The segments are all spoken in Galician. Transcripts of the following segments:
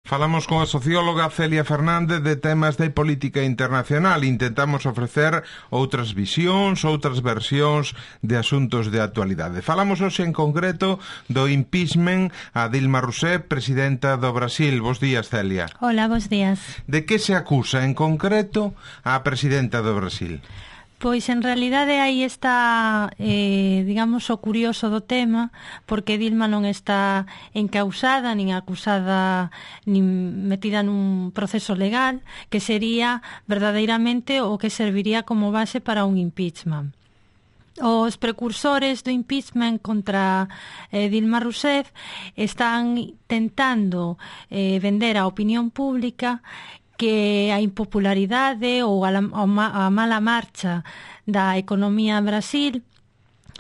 Falamos con a socióloga Celia Fernández de temas de política internacional. Intentamos ofrecer outras visións, outras versións de asuntos de actualidade. Falamos hoxe en concreto do impeachment a Dilma Rousseff, presidenta do Brasil. Bos días, Celia. Hola, bos días. De que se acusa en concreto a presidenta do Brasil? Pois, en realidade, aí está, digamos, o curioso do tema, porque Dilma non está encausada, nin acusada, nin metida nun proceso legal, que sería verdadeiramente o que serviría como base para un impeachment. Os precursores do impeachment contra Dilma Rousseff están tentando vender á opinión pública que a impopularidade ou a mala marcha da economía en Brasil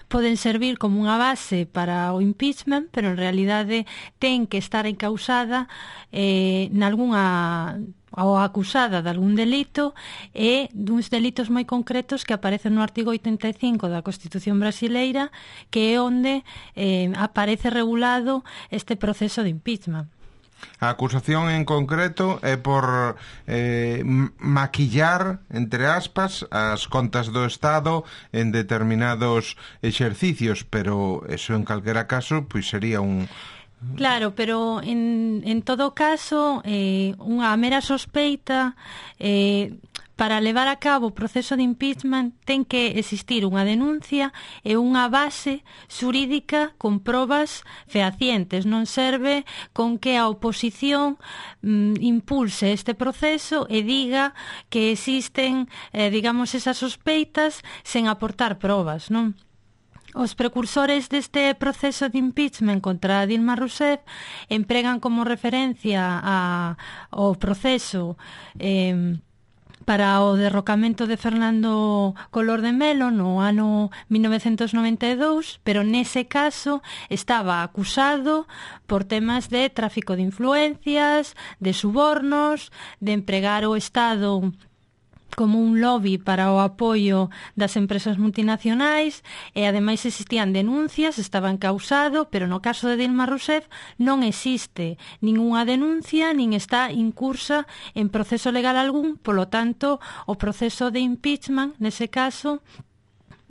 poden servir como unha base para o impeachment, pero en realidade ten que estar encausada nalgúnha ou acusada de algún delito e duns delitos moi concretos que aparecen no artigo 85 da Constitución brasileira, que é onde aparece regulado este proceso de impeachment. A acusación en concreto é por maquillar, entre aspas, as contas do Estado en determinados exercicios, pero eso en calquera caso pois sería un... Claro, pero en todo caso unha mera sospeita para levar a cabo o proceso de impeachment ten que existir unha denuncia e unha base xurídica con probas fehacientes. Non serve con que a oposición impulse este proceso e diga que existen, digamos, esas sospeitas sen aportar probas, non? Os precursores deste proceso de impeachment contra Dilma Rousseff empregan como referencia ao proceso para o derrocamento de Fernando Collor de Mello no ano 1992, pero nese caso estaba acusado por temas de tráfico de influencias, de subornos, de empregar o Estado como un lobby para o apoio das empresas multinacionais e ademais existían denuncias, estaba encausado, pero no caso de Dilma Rousseff non existe ningunha denuncia nin está incursa en proceso legal algún, polo tanto o proceso de impeachment nese caso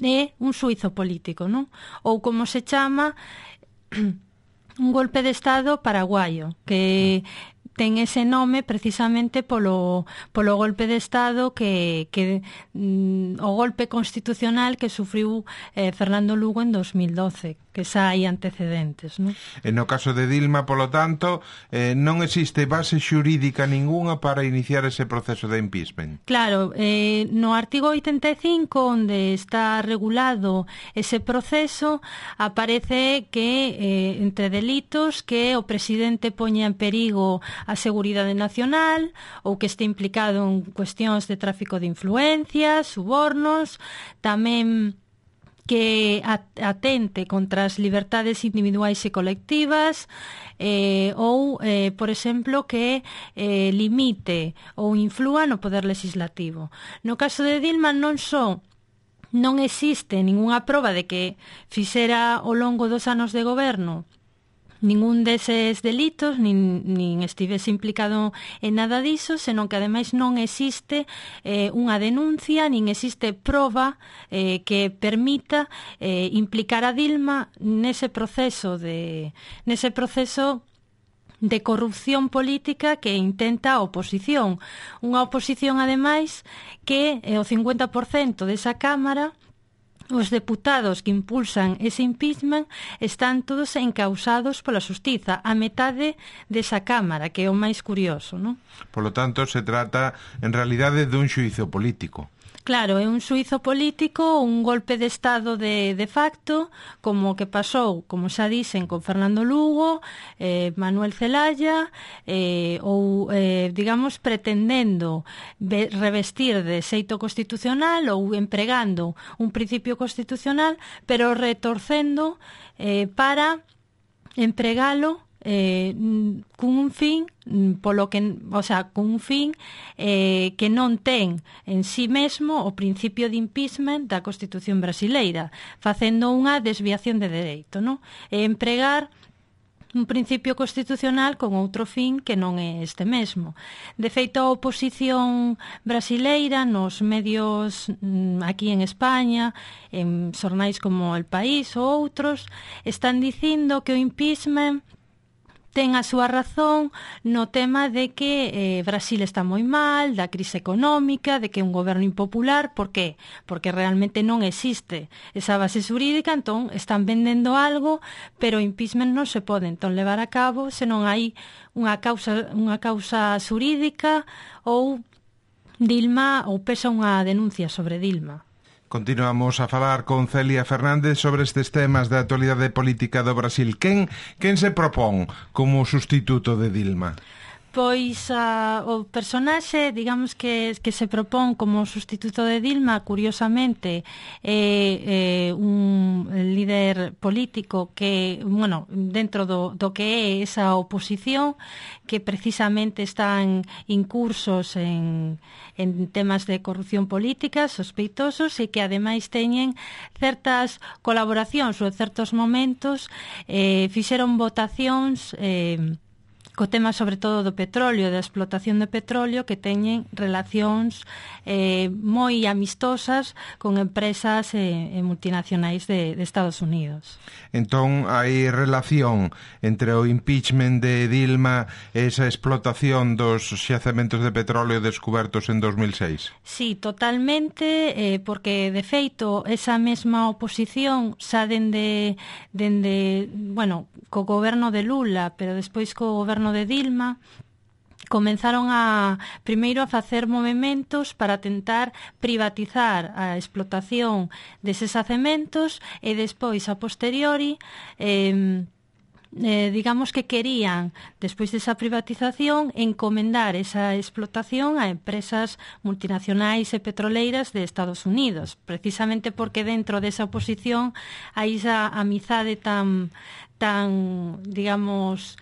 é un xuízo político, non? Ou como se chama un golpe de Estado paraguayo, que ten ese nome precisamente polo golpe de Estado que o golpe constitucional que sufriu Fernando Lugo en 2012, que xa hai antecedentes, non? E no caso de Dilma, polo tanto, non existe base xurídica ninguna para iniciar ese proceso de impeachment. Claro, no artigo 85, onde está regulado ese proceso, aparece que entre delitos que o presidente poña en perigo a seguridade nacional ou que este implicado en cuestións de tráfico de influencias, subornos, tamén que atente contra as libertades individuais e colectivas ou, por exemplo, que limite ou inflúa no poder legislativo. No caso de Dilma non existe ningunha proba de que fixera ao longo dos anos de goberno ningún deses delitos, nin estivese implicado en nada diso, senón que ademais non existe unha denuncia, nin existe proba que permita implicar a Dilma nese proceso de corrupción política que intenta a oposición. Unha oposición, ademais, que o 50% desa Cámara, os deputados que impulsan ese impeachment, están todos encausados pola xustiza, a metade desa Cámara, que é o máis curioso, non? Polo tanto, se trata, en realidade, dun xuízo político. Claro, é un xuízo político, un golpe de Estado de facto, como o que pasou, como xa dicen, con Fernando Lugo, Manuel Zelaya, ou, digamos, pretendendo revestir de xeito constitucional ou empregando un principio constitucional, pero retorcendo para empregalo cun un fin polo que, o sea, cun un fin que non ten en sí mesmo o principio de impeachment da Constitución brasileira, facendo unha desviación de dereito, non? E empregar un principio constitucional con outro fin que non é este mesmo. De feito, a oposición brasileira nos medios aquí en España, en xornais como El País ou outros, están dicindo que o impeachment ten a súa razón no tema de que Brasil está moi mal, da crise económica, de que é un goberno impopular. Por qué? Porque realmente non existe esa base xurídica, entón están vendendo algo, pero o impeachment non se pode entón levar a cabo se non hai unha causa xurídica ou Dilma ou pesa unha denuncia sobre Dilma. Continuamos a falar con Celia Fernández sobre estes temas de actualidade política do Brasil. Quen se propón como sustituto de Dilma? Pois o personaxe, digamos que se propón como sustituto de Dilma, curiosamente, é un líder político que, bueno, dentro do que é esa oposición, que precisamente están incursos en temas de corrupción política, sospeitosos, e que ademais teñen certas colaboracións ou certos momentos fixeron votacións co tema sobre todo do petróleo, da explotación de petróleo, que teñen relacións moi amistosas con empresas multinacionais de Estados Unidos. Entón, hai relación entre o impeachment de Dilma e esa explotación dos xacementos de petróleo descubertos en 2006? Sí, totalmente, porque, de feito, esa mesma oposición xa dende bueno, co goberno de Lula, pero despois co goberno de Dilma, comenzaron primeiro a facer movementos para tentar privatizar a explotación deses xacementos e despois, a posteriori, digamos que querían, despois desa privatización, encomendar esa explotación a empresas multinacionais e petroleiras de Estados Unidos, precisamente porque dentro desa oposición hai esa amizade tan digamos,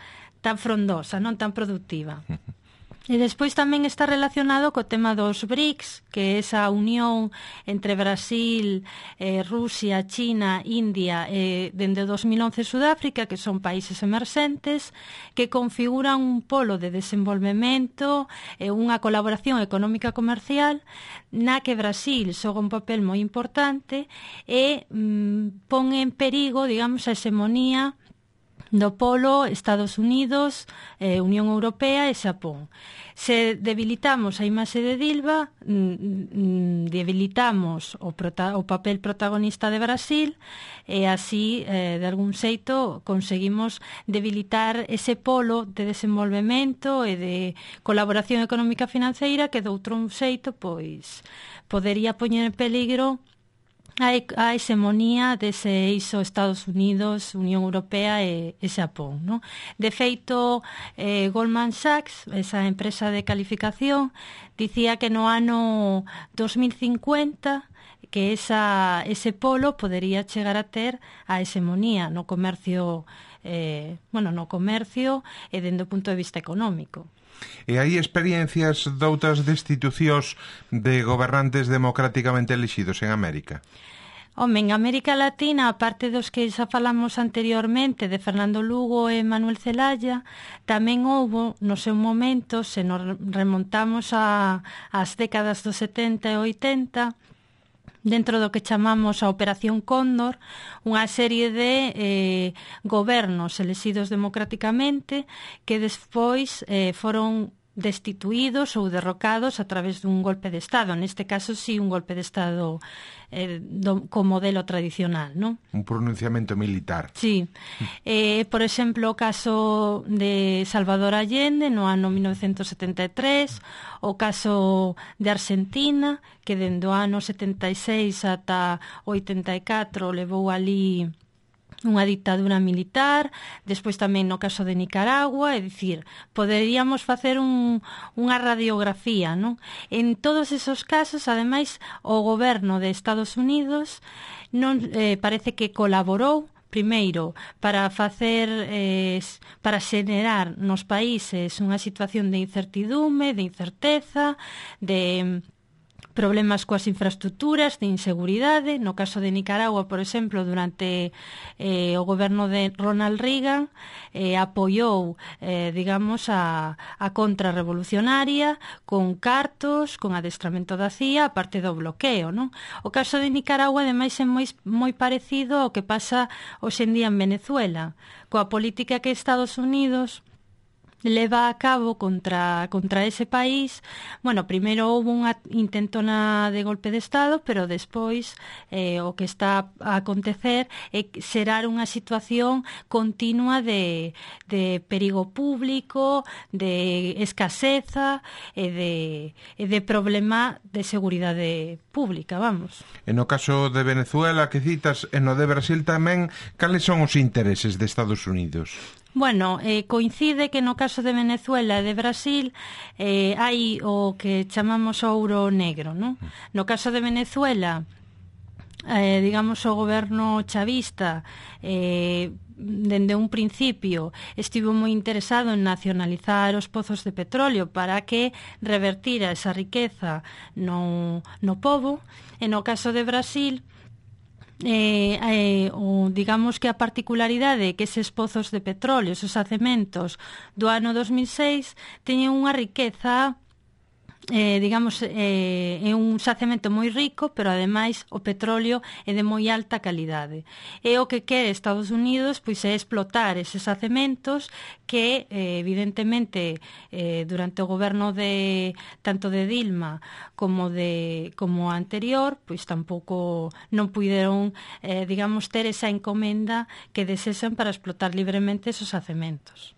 tan frondosa, non tan productiva. E despois tamén está relacionado co tema dos BRICS, que é esa unión entre Brasil, Rusia, China, India e dende 2011 Sudáfrica, que son países emerxentes, que configuran un polo de desenvolvemento e unha colaboración económica comercial na que Brasil xoga un papel moi importante e pon en perigo, digamos, a hexemonía do polo Estados Unidos, Unión Europea e Xapón. Se debilitamos a imaxe de Dilma, debilitamos o papel protagonista de Brasil e así, de algún xeito, conseguimos debilitar ese polo de desenvolvemento e de colaboración económica financeira que de outro xeito pois podería poñer en peligro a hexemonía dese eixo Estados Unidos, Unión Europea e Xapón, non? De feito, Goldman Sachs, esa empresa de calificación, dicía que no ano 2050 que ese polo podería chegar a ter a hexemonía no comercio, no comercio e dende o punto de vista económico. E hai experiencias doutras destitucións de gobernantes democráticamente elixidos en América? Home, en América Latina, aparte dos que xa falamos anteriormente, de Fernando Lugo e Manuel Zelaya, tamén houbo, no seu momento, se nos remontamos ás décadas dos 70 e 80, dentro do que chamamos a Operación Cóndor, unha serie de gobernos elexidos democráticamente que despois foron destituídos ou derrocados a través dun golpe de Estado. Neste caso, sí, un golpe de Estado con modelo tradicional, non? Un pronunciamento militar. Sí. Por exemplo, o caso de Salvador Allende no ano 1973, o caso de Argentina, que dende o ano 76 ata 84 levou ali unha dictadura militar, despois tamén no caso de Nicaragua, é dicir, poderíamos facer unha radiografía, non? En todos esos casos, ademais, o goberno de Estados Unidos non parece que colaborou primeiro para xenerar nos países unha situación de incertidume, de incerteza, problemas coas infraestructuras, de inseguridade. No caso de Nicaragua, por exemplo, durante o goberno de Ronald Reagan, apoiou, digamos, a contrarrevolucionaria con cartos, con adestramento da CIA, a parte do bloqueo, non? O caso de Nicaragua, ademais, é moi parecido ao que pasa hoxe en día en Venezuela, coa política que Estados Unidos leva a cabo contra ese país. Bueno, primeiro houve unha intentona de golpe de Estado, pero despois o que está a acontecer é xerar unha situación continua de perigo público, de escaseza e de problema de seguridade pública, vamos. E no caso de Venezuela que citas, e no de Brasil tamén, cales son os intereses de Estados Unidos? Bueno, coincide que no caso de Venezuela e de Brasil hai o que chamamos ouro negro, non? No caso de Venezuela, digamos, o goberno chavista dende un principio estivo moi interesado en nacionalizar os pozos de petróleo para que revertira esa riqueza no pobo. E no caso de Brasil, digamos que a particularidade é que eses pozos de petróleo, esos acementos do ano 2006 teñen unha riqueza, digamos, é un xacemento moi rico, pero ademais o petróleo é de moi alta calidade. E o que quere Estados Unidos pois é explotar eses xacementos que evidentemente durante o goberno tanto de Dilma como anterior, pois tampouco non puideron, digamos, ter esa encomenda que desexan para explotar libremente esos xacementos.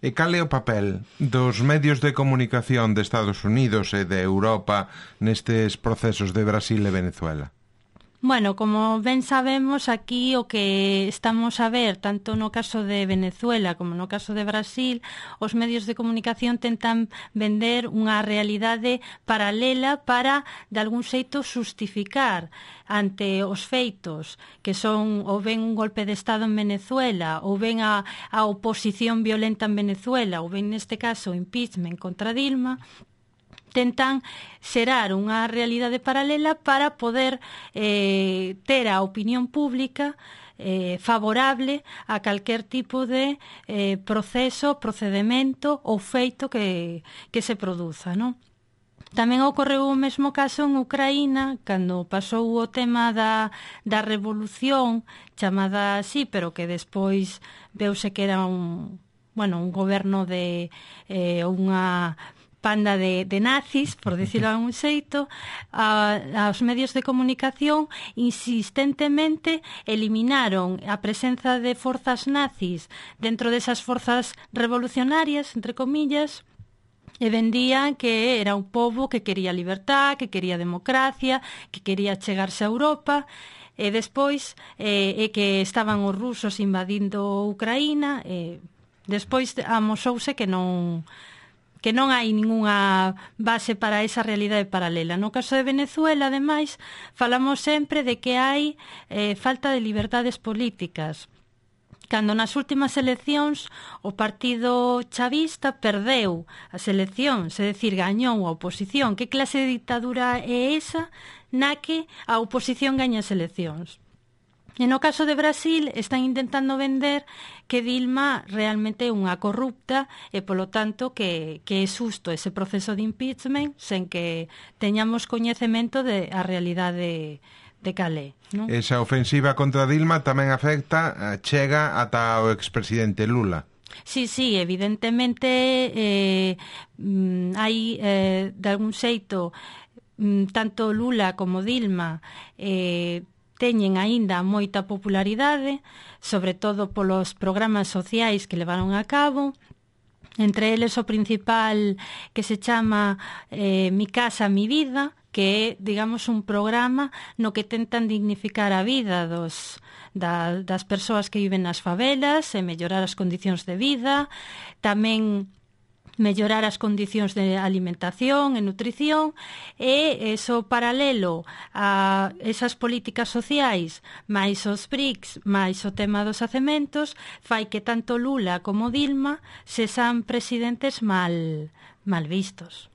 E cal é o papel dos medios de comunicación de Estados Unidos e de Europa nestes procesos de Brasil e Venezuela? Bueno, como ben sabemos, aquí o que estamos a ver, tanto no caso de Venezuela como no caso de Brasil, os medios de comunicación tentan vender unha realidade paralela para, de algún xeito, justificar ante os feitos que son ou ben un golpe de Estado en Venezuela ou ben a oposición violenta en Venezuela ou ben, neste caso, o impeachment contra Dilma. Tentan xerar unha realidade paralela para poder ter a opinión pública favorable a calquer tipo de proceso, procedimento ou feito que se produza, non? Tamén ocorreu o mesmo caso en Ucraína, cando pasou o tema da revolución, chamada así, pero que despois veuse que era un goberno de unha panda de nazis, por decirlo de algún xeito. Os medios de comunicación insistentemente eliminaron a presenza de forzas nazis dentro desas forzas revolucionarias, entre comillas, e vendían que era un pobo que quería libertad, que quería democracia, que quería chegarse a Europa. E despois que estaban os rusos invadindo Ucraína. Despois amosouse que non hai ningunha base para esa realidade paralela. No caso de Venezuela, ademais, falamos sempre de que hai falta de liberdades políticas. Cando nas últimas eleccións o partido chavista perdeu as eleccións, é dicir, gañou a oposición. Que clase de ditadura é esa na que a oposición gaña as eleccións? E no caso de Brasil están intentando vender que Dilma realmente é unha corrupta e, polo tanto, que é xusto ese proceso de impeachment sen que teñamos coñecemento de a realidade de calé, non? Esa ofensiva contra Dilma tamén afecta, chega ata o expresidente Lula. Sí, evidentemente hai de algún xeito tanto Lula como Dilma teñen aínda moita popularidade, sobre todo polos programas sociais que levaron a cabo. Entre eles o principal, que se chama Mi Casa, Mi Vida, que é, digamos, un programa no que tentan dignificar a vida das persoas que viven nas favelas e mellorar as condicións de vida, tamén mellorar as condicións de alimentación e nutrición, e eso paralelo a esas políticas sociais máis os BRICS, máis o tema dos xacementos, fai que tanto Lula como Dilma sexan presidentes mal vistos.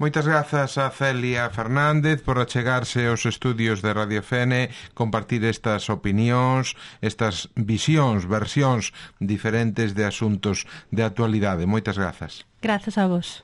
Moitas grazas a Celia Fernández por achegarse aos estudios de Radio Fene, compartir estas opinións, estas visións, versións diferentes de asuntos de actualidade. Moitas grazas. Grazas a vos.